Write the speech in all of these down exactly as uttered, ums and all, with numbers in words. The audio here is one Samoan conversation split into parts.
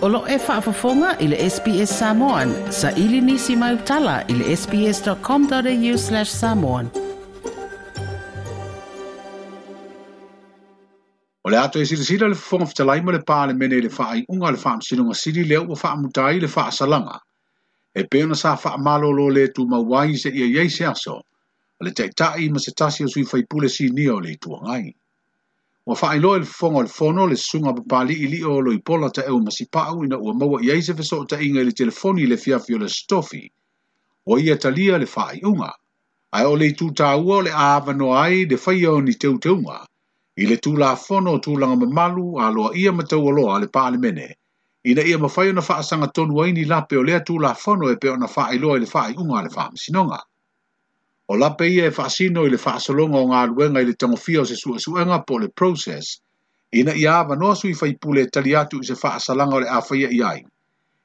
O lo e faafofoga i le S B S Samoan, sa ili nisi mai utala i le sbs.com.au slash samoan. O le ato e silasila le fofoga fetalai ma le Palemene i le faaiuga a le Faamasinoga Sili lea ua faamuta ai le faasalaga. E pei ona sa faamalolo le tumau ai se ia iai se aso, o le taitai ma se tasi o sui faipule sinia o le Itu Agai. Ua faailoa i le fofoga o le fono le susuga papali'i lio o Loipola Taeu Masipau ina ua maua i ai se fesootaiga i le telefoni i le fiafi o le Stofi. Ua ia talia le faaiuga. Ae o le itu tāua o le avanoa ai le faia o ni teuteuga i le Tulafono o Tulaga Mamalu aloaia ma taualoa a le Palemene, ina ia mafai ona faasagatonu ai ni lape o lea Tulafono e pei ona faailoa i le faaiuga a le Faamasinoga. O lape ia e faasino i le faasologa o galuega i le tagofia o se suesuega po o le process, ina ia avanoa sui faipule e tali atu i se faasalaga o le a faia i ai,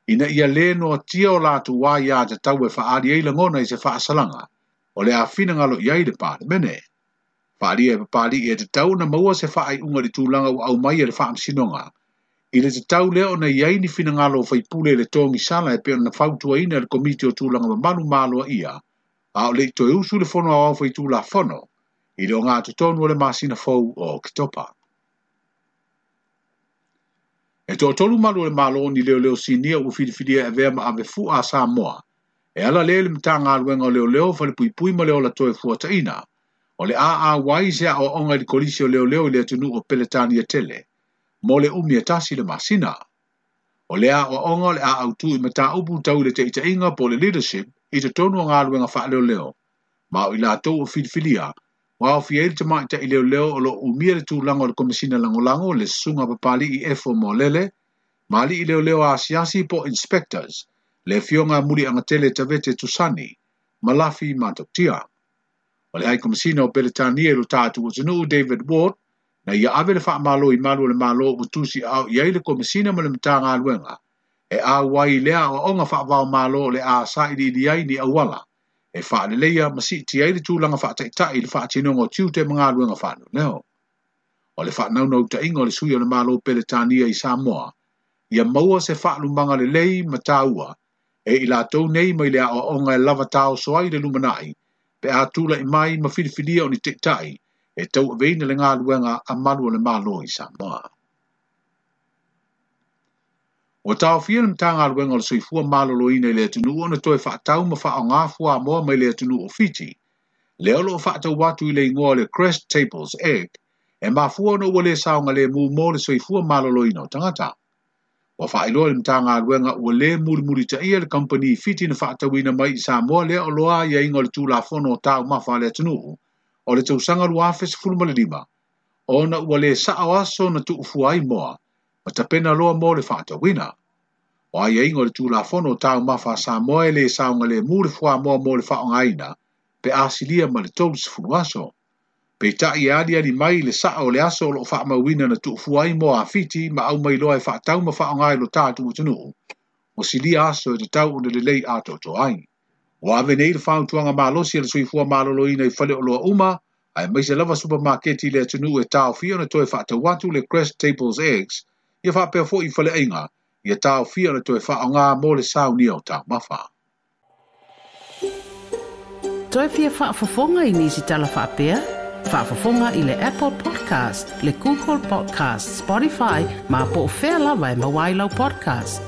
ina ia le noatia o latou aiā tatau e faaali ai lagona i se faasalaga o le a finagalo i ai le Palemene. Faalia e papali'i e tatau ona maua se faaiuga i le tulaga ua aumai e le Faamasinoga, i le tatau lea ona i ai ni finagalo o faipule i le togisala e pei ona fautuaina e le Komiti o Tulaga Mamalu ma Aloaia, a o le i toe usu le fono aoao faitulafono i le ogatotonu o le masina fou o Oketopa. E toatolu malu o le Malo ni leoleo sinia ua filifilia e avea ma ave fua a Samoa, e ala lea i le Matagaluega o Leoleo Falepuipui ma le Ola Toe Fuataina, o le a auai se aoaoga i le Kolisi o Leoleo i le atunuu o Peletania tele, mo le umi e tasi le masina. O le aoaoga o le a autu i mataupu tau i le taitaiga po o le leadership i totonu o galuega faaleoleo, ma o i latou o filifilia, ua aofia ai le tamaitai leoleo o lo o umia le tulaga o le Komesina Lagolago le susuga papali'i Efo Moalele, ma ali'i leoleo asiasi po o inspectors, le afioga Muliagatele Tavete Tusani, ma Lafi Matautia. O le High Komesina o Peletania i lo tatou atunuu David Ward, na ia ave le faamalo i malu o le Malo ua tusi ao i ai le Komesina ma le Matagaluega, e auai lea aoaoga faavao malo o le a sailiili ai ni auala, e faaleleia ma siiti ai le tulaga faataitai i le faatinoga o tiute ma galuega faaleoleo. O le faanaunautaiga o le sui o le Malo Peletania i Samoa, ia maua se faalumaga lelei ma taua, e i latou nei mai le aoaoga e lava taoso ai le lumanai, pe a tula'i mai ma filifilia o ni taitai, e tauaveina le galuega a malu o le Malo i Samoa. Ua taofia le Matagaluega o le Soifua Maloloina i le atunuu ona toe faatau ma faaaoga fuamoa mai le atunuu o Fiti, lea o lo o faatau atu i le igoa o le Crest Tables Egg, e mafua ona ua le saogalemu mo le soifua maloloina o tagata. Ua faailoa le Matagaluega ua le mulimulitaia le kamupani Fiti na faatauina mai i Samoa lea o loa aiaiga o le Tulafono o Taumafa a le atunuu o le tausaga lua afe sefulu ma le lima, ona ua le sao aso na tuufua ai moa, ma tapena loa mo le faatauina. O aiaiga o le Tulafono o Taumafa a Samoa e le saogalemu le fuamoa mo le faaaogaina, pe asilia ma le tolu sefulu aso. Peitai e aliali mai le sao o le aso o lo o faamauina na tuufua ai moa a Fiti ma aumai loa e faatau ma faaaoga i lo tatou atunuu, ua silia aso e tatau ona lelei atoatoa ai. Ua ave nei le fautuaga malosi a le Soifua Maloloina i faleoloa uma, aemaise lava supamaketi i le atunuu e taofia ona toe faatau atu le Crest Tables Eggs, ia faapea foi i faleaiga, ia taofia ona toe faaaoga mo le saunia o taumafa. Toe fia faafofoga i nisi tala faapea? Faafofoga i le Apple Podcast, le Google Podcast, Spotify, ma po o fea lava e maua ai lau podcast.